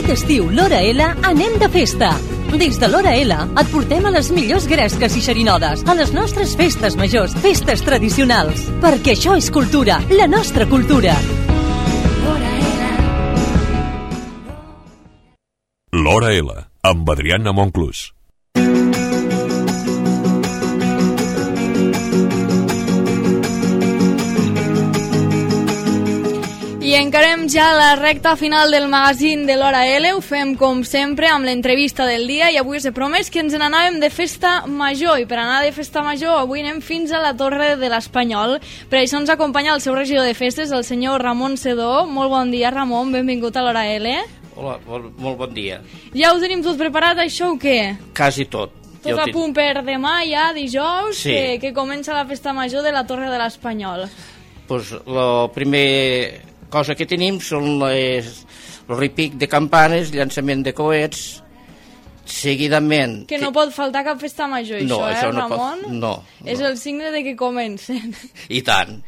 Aquest estiu, l'Hora L, anem de festa. Des de l'Hora L et portem a les millors gresques i xerinodes, a les nostres festes majors, festes tradicionals. Perquè això és cultura, la nostra cultura. L'Hora L, amb Adriana Monclús. I encarem ja la recta final del magazín de l'Hora L. Ho fem com sempre amb l'entrevista del dia i avui us he promès que ens n'anàvem de festa major i per anar de festa major avui anem fins a la Torre de l'Espanyol. Per això ens acompanya el seu regidor de festes, el senyor Ramon Sedó. Molt bon dia, Ramon, benvingut a l'Hora L. Hola, molt bon dia. Ja ho tenim tot preparat, això o què? Quasi tot. Tot a punt per demà ja, dijous, sí. que comença la festa major de la Torre de l'Espanyol. Pues la primera cosa que tenim són el repic de campanes, llançament de coets, seguidament... Que no pot faltar cap festa major, no, això no Ramon? No. És el signe de que comencen. I tant.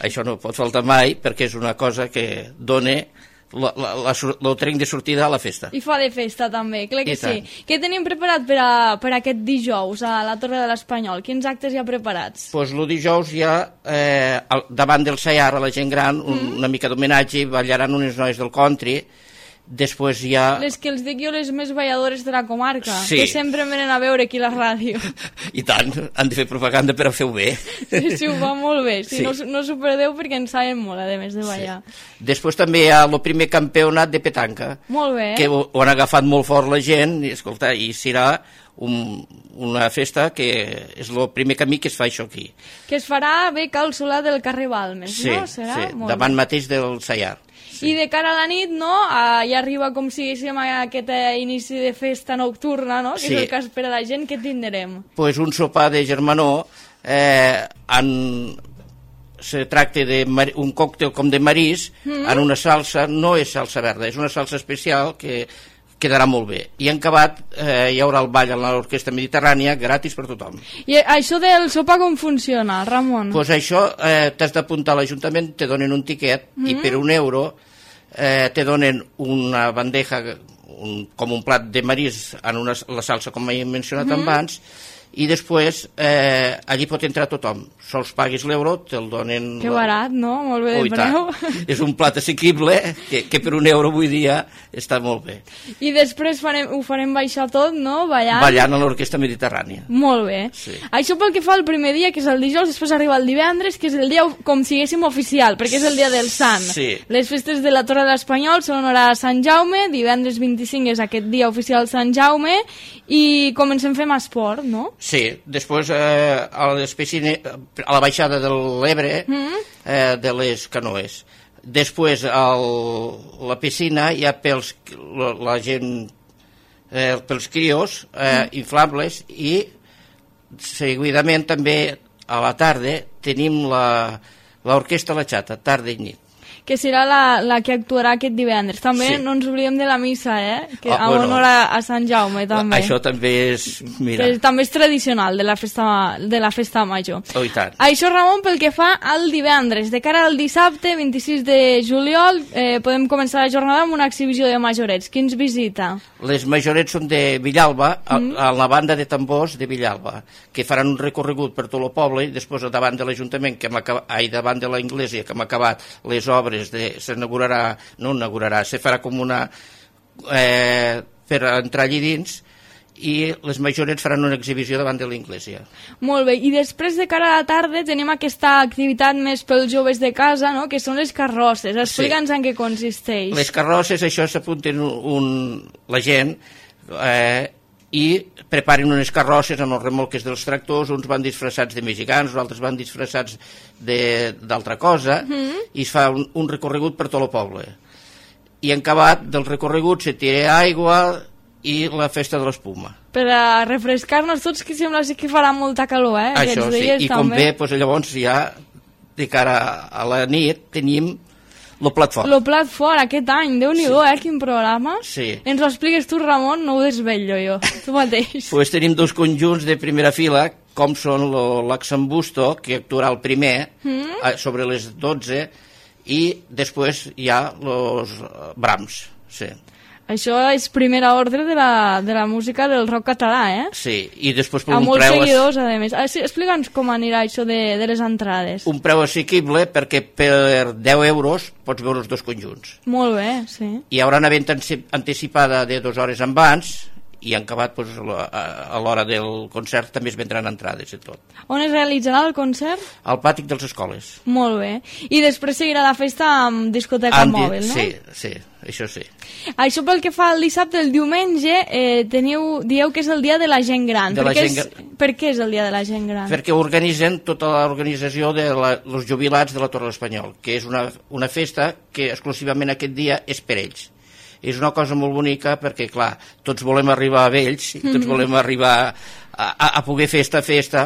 Això no pot faltar mai perquè és una cosa que dona el tren de sortida a la festa. I fa de festa també, clar que sí. Què tenim preparat per aquest dijous a la Torre de l'Espanyol? Quins actes hi ha preparats? Pues el dijous hi ha davant del Sayar a la gent gran una mica d'homenatge, ballaran unes noies del country. Després hi ha... Les que els dic jo, les més balladores de la comarca, sí. Que sempre em venen a veure aquí a la ràdio. I tant, han de fer propaganda per a fer-ho bé. Sí, ho fa molt bé, sí. No s'ho perdeu perquè en saben molt, a més de ballar. Sí. Després també hi ha el primer campionat de petanca, molt bé. Que ho han agafat molt fort la gent, i escolta, i serà una festa que és el primer camí que es fa això aquí. Que es farà bé cal Solà del carrer Balmes, sí, no? Serà? Sí, davant mateix del Sayar. Sí. I de cara a la nit, no? Ja arriba com si diguéssim aquest inici de festa nocturna, no? Que sí. És el que espera la gent. Què tindrem? Pues un sopar de germanor, se tracta d'un còctel com de marís, en una salsa, no és salsa verda, és una salsa especial que quedarà molt bé. I en acabat hi haurà el ball a l'Orquestra Mediterrània, gratis per tothom. I això del sopar com funciona, Ramon? Pues això t'has d'apuntar a l'Ajuntament, te donen un tiquet i per €1 te donen una bandeja, com un plat de marís en la salsa, com he mencionat abans, i després allí pot entrar tothom. Sols paguis l'euro, te'l donen... Que barat, no? Molt bé de preu. És un plat assequible que per €1 avui dia està molt bé. I després ho farem baixar tot, no? Ballant a l'Orquestra Mediterrània. Molt bé. Sí. Això pel que fa al primer dia, que és el dijous, després arriba el divendres, que és el dia, com si diguéssim, oficial, perquè és el dia del Sant. Sí. Les festes de la Torre de l'Espanyol són hora a Sant Jaume, divendres 25 és aquest dia oficial Sant Jaume, i comencem fent esport, no? Sí, després a la baixada de l'Ebre, de les canoes. Després la piscina hi ha la gent, pels crios, inflables, i seguidament també a la tarda tenim l'orquestra La Xata, tarda i nit. Que serà la que actuarà aquest divendres. També sí. No ens oblidem de la missa, que en honor a Sant Jaume, també. Això també és... Mira. També és tradicional de la festa major. Oh, i tant. Això, Ramon, pel que fa al divendres. De cara al dissabte, 26 de juliol, podem començar la jornada amb una exhibició de majorets. Qui ens visita? Les majorets són de Villalba, a la banda de tambors de Villalba, que faran un recorregut per tot el poble i després davant de l'Ajuntament, davant de l'Església, que hem acabat les obres se farà com una per entrar allí dins, i les majorets faran una exhibició davant de l'Església. Molt bé, i després de cara a la tarda tenim aquesta activitat més pels joves de casa, no? Que són les carrosses. Explica'ns en què consisteix. Les carrosses, això s'apunten la gent i preparen unes carrosses amb els remolques dels tractors, uns van disfressats de mexicans, els altres van disfressats d'altra cosa, i es fa un recorregut per tot el poble. I en acabat del recorregut se tira aigua i la festa de l'espuma. Per a refrescar-nos tots, que sembla que farà molta calor, Això sí, i com bé, llavors ja de cara a la nit tenim el plat fort. El plat fort, aquest any, Déu-n'hi-do, quin programa. Sí. Ens ho expliques tu, Ramon, no ho desvetllo jo, tu mateix. Pues tenim dos conjunts de primera fila, com són l'Axambusto, que actuarà el primer, sobre les 12, i després hi ha els Brahms, sí. Això és primera ordre de la música del rock català, eh? Sí, i després per amb un molts preu... seguidors, a més. Sí, explica'ns com anirà això de les entrades. Un preu assequible perquè per 10 euros pots veure els dos conjunts. Molt bé, sí. Hi haurà una venda anticipada de 2 hores abans i en acabat doncs, a l'hora del concert també es vendran entrades i tot. On es realitzarà el concert? Al pàtic dels escoles. Molt bé. I després seguirà la festa amb discoteca mòbil, no? Sí, això sí. Això pel que fa al dissabte, el diumenge, dieu que és el dia de la gent gran. Per què és el dia de la gent gran? Perquè organitzen tota l'organització dels jubilats de la Torre de l'Espanyol, que és una festa que exclusivament aquest dia és per ells. És una cosa molt bonica perquè, clar, tots volem arribar a vells, tots volem arribar a poder fer esta festa,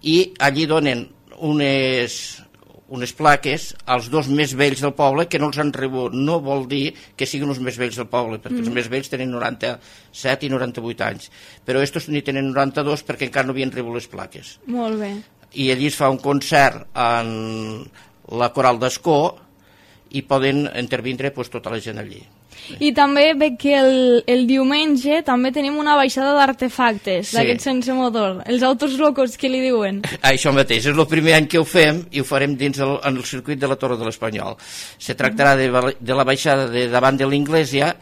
i allí donen unes plaques als dos més vells del poble que no els han rebut. No vol dir que siguin els més vells del poble, perquè els més vells tenen 97 i 98 anys, però estos ni tenen 92 perquè encara no havien rebut les plaques. Molt bé. I allí es fa un concert en la Coral d'Escó i poden intervindre pues, tota la gent allí. I també veig que el diumenge també tenim una baixada d'artefactes, d'aquests sense motor, els autos locos que li diuen. Això mateix, és el primer any que ho fem i ho farem dins en el circuit de la Torre de l'Espanyol. Se tractarà de la baixada de davant de l'Iglésia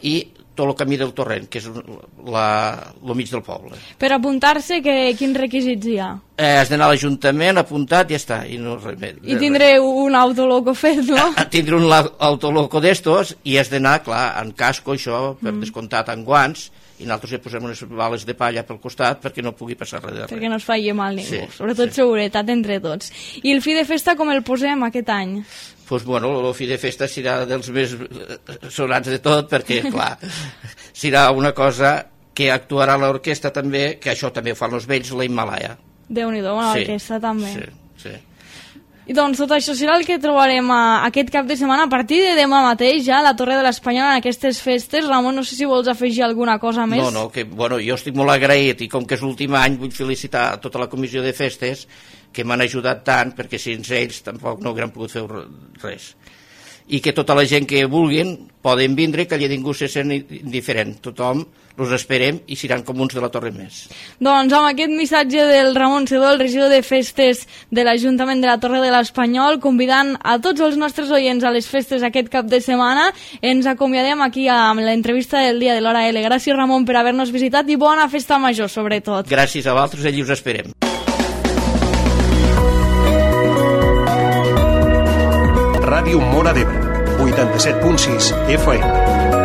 i tot el camí del Torrent, que és el mig del poble. Per apuntar-se, quins requisits hi ha? Has d'anar a l'Ajuntament, apuntat, i ja està. I tindré un autoloco fet, no? Tindré un autoloco d'estos i has d'anar, clar, en casco, això, per descomptat, en guants, i nosaltres hi posem unes bales de palla pel costat perquè no pugui passar res de res. Perquè no es faci mal ningú, sobretot seguretat entre tots. I el fi de festa com el posem aquest any? Doncs, bueno, el fi de festa serà dels més sonats de tot, perquè, clar, serà una cosa que actuarà l'orquestra també, que això també ho fan els vells, la Himalaya. Déu-n'hi-do, una orquestra també. Sí. I doncs tot això serà el que trobarem aquest cap de setmana a partir de demà mateix ja a la Torre de l'Espanyol en aquestes festes. Ramon, no sé si vols afegir alguna cosa més. No, que bueno, jo estic molt agraït i com que és l'últim any vull felicitar tota la comissió de festes que m'han ajudat tant, perquè sense ells tampoc no hauran pogut fer res. I que tota la gent que vulguin poden vindre, que allà ningú se sent indiferent. Tothom els esperem i seran com uns de la Torre més. Doncs amb aquest missatge del Ramon Sedó, el regidor de festes de l'Ajuntament de la Torre de l'Espanyol, convidant a tots els nostres oients a les festes aquest cap de setmana, ens acomiadem aquí amb l'entrevista del dia de l'Hora L. Gràcies, Ramon, per haver-nos visitat i bona festa major, sobretot. Gràcies a vosaltres, allí us esperem. Ràdio Móra d'Ebre, 87.6 FM.